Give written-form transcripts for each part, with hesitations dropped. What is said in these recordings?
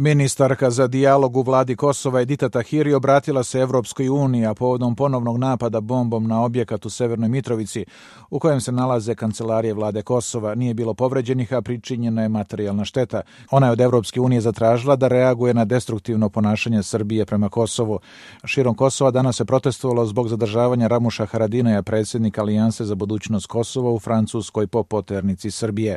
Ministarka za dijalog u vladi Kosova Edita Tahiri obratila se Evropskoj uniji, a povodom ponovnog napada bombom na objekat u Severnoj Mitrovici, u kojem se nalaze kancelarije vlade Kosova, nije bilo povređenih, a pričinjena je materijalna šteta. Ona je od Evropske unije zatražila da reaguje na destruktivno ponašanje Srbije prema Kosovu. Širom Kosova danas se protestovalo zbog zadržavanja Ramuša Haradinaja, predsjednika Alijanse za budućnost Kosova u Francuskoj po poternici Srbije.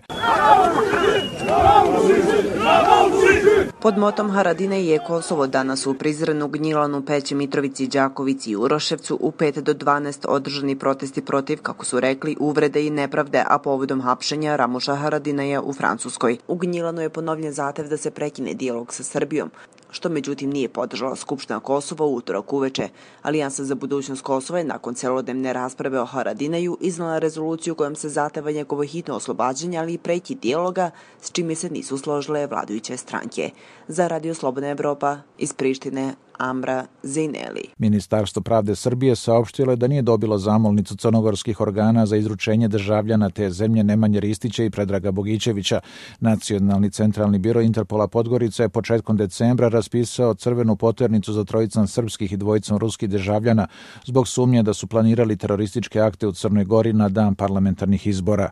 Pod motom Haradinaj je Kosovo danas u Prizrenu, Gnjilanu, Peći, Mitrovici, Đakovici i Uroševcu u 5 do 12 održani protesti protiv, kako su rekli, uvrede i nepravde, a povodom hapšenja Ramuša Haradinaja u Francuskoj. U Gnjilanu je ponovljen zahtev da se prekine dijalog sa Srbijom, što međutim nije podržala Skupština Kosova u utorak uveče. Alijansa za budućnost Kosova je nakon celodnevne rasprave o Haradinaju iznala rezoluciju kojom se zahteva njegovo hitno oslobađanje, ali i prekid dijaloga, s čime se nisu složile vladajuće stranke. Za Radio Slobodna Evropa iz Prištine, Amra Zejneli. Ministarstvo pravde Srbije saopštilo je da nije dobilo zamolnicu crnogorskih organa za izručenje državljana te zemlje Nemanje Ristića i Predraga Bogićevića. Nacionalni centralni biro Interpola Podgorica je početkom decembra raspisao crvenu poternicu za trojicom srpskih i dvojicom ruskih državljana zbog sumnje da su planirali terorističke akte u Crnoj Gori na dan parlamentarnih izbora.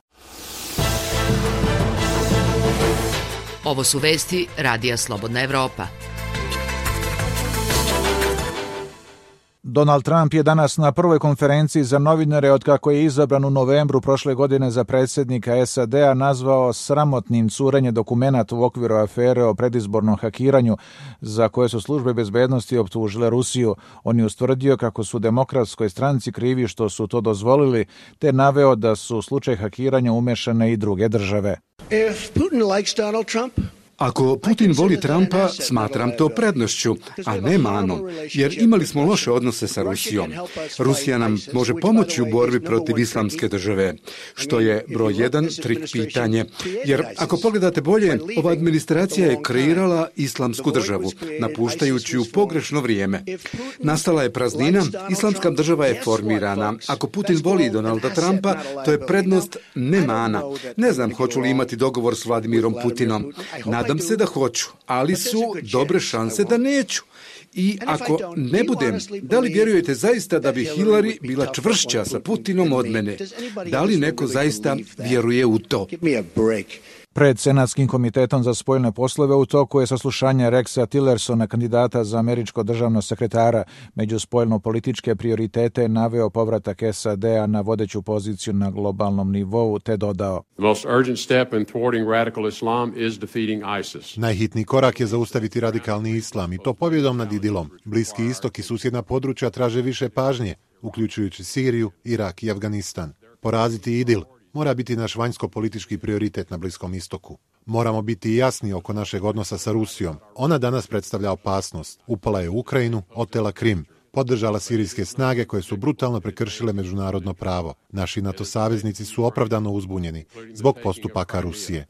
Ovo su vesti Radija Slobodna Evropa. Donald Trump je danas na prvoj konferenciji za novinare otkako je izabran u novembru prošle godine za predsjednika SAD-a nazvao sramotnim curenje dokumenata u okviru afere o predizbornom hakiranju za koje su službe bezbednosti optužile Rusiju. On je ustvrdio kako su demokratskoj stranci krivi što su to dozvolili, te naveo da su u slučaj hakiranja umešane i druge države. If Putin likes Donald Trump, ako Putin voli Trumpa, smatram to prednošću, a ne manom, jer imali smo loše odnose sa Rusijom. Rusija nam može pomoći u borbi protiv islamske države, što je broj 1 trik pitanje. Jer ako pogledate bolje, ova administracija je kreirala islamsku državu, napuštajući u pogrešno vrijeme. Nastala je praznina, islamska država je formirana. Ako Putin voli Donalda Trumpa, to je prednost, ne mana. Ne znam hoću li imati dogovor s Vladimirom Putinom. Nadam se da hoću, ali su dobre šanse da neću. I ako ne budem, da li vjerujete zaista da bi Hillary bila čvršća sa Putinom od mene? Da li neko zaista vjeruje u to? Pred Senatskim komitetom za spoljne poslove u toku je saslušanje Rexa Tillersona, kandidata za američko državnog sekretara. Među spoljno-političke prioritete je naveo povratak SAD-a na vodeću poziciju na globalnom nivou, te dodao: Najhitniji korak je zaustaviti radikalni islam i to pobjedom nad IDIL-om. Bliski istok i susjedna područja traže više pažnje, uključujući Siriju, Irak i Afganistan. Poraziti IDIL mora biti naš vanjsko-politički prioritet na Bliskom istoku. Moramo biti jasni oko našeg odnosa sa Rusijom. Ona danas predstavlja opasnost. Upala je u Ukrajinu, otela Krim, podržala sirijske snage koje su brutalno prekršile međunarodno pravo. Naši NATO saveznici su opravdano uzbunjeni zbog postupaka Rusije.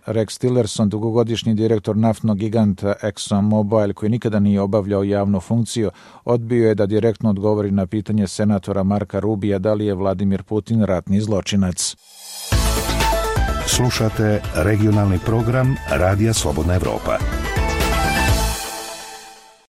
Rex Tillerson, dugogodišnji direktor naftnog giganta ExxonMobil, koji nikada nije obavljao javnu funkciju, odbio je da direktno odgovori na pitanje senatora Marka Rubija da li je Vladimir Putin ratni zločinac. Slušate regionalni program Radija Slobodna Evropa.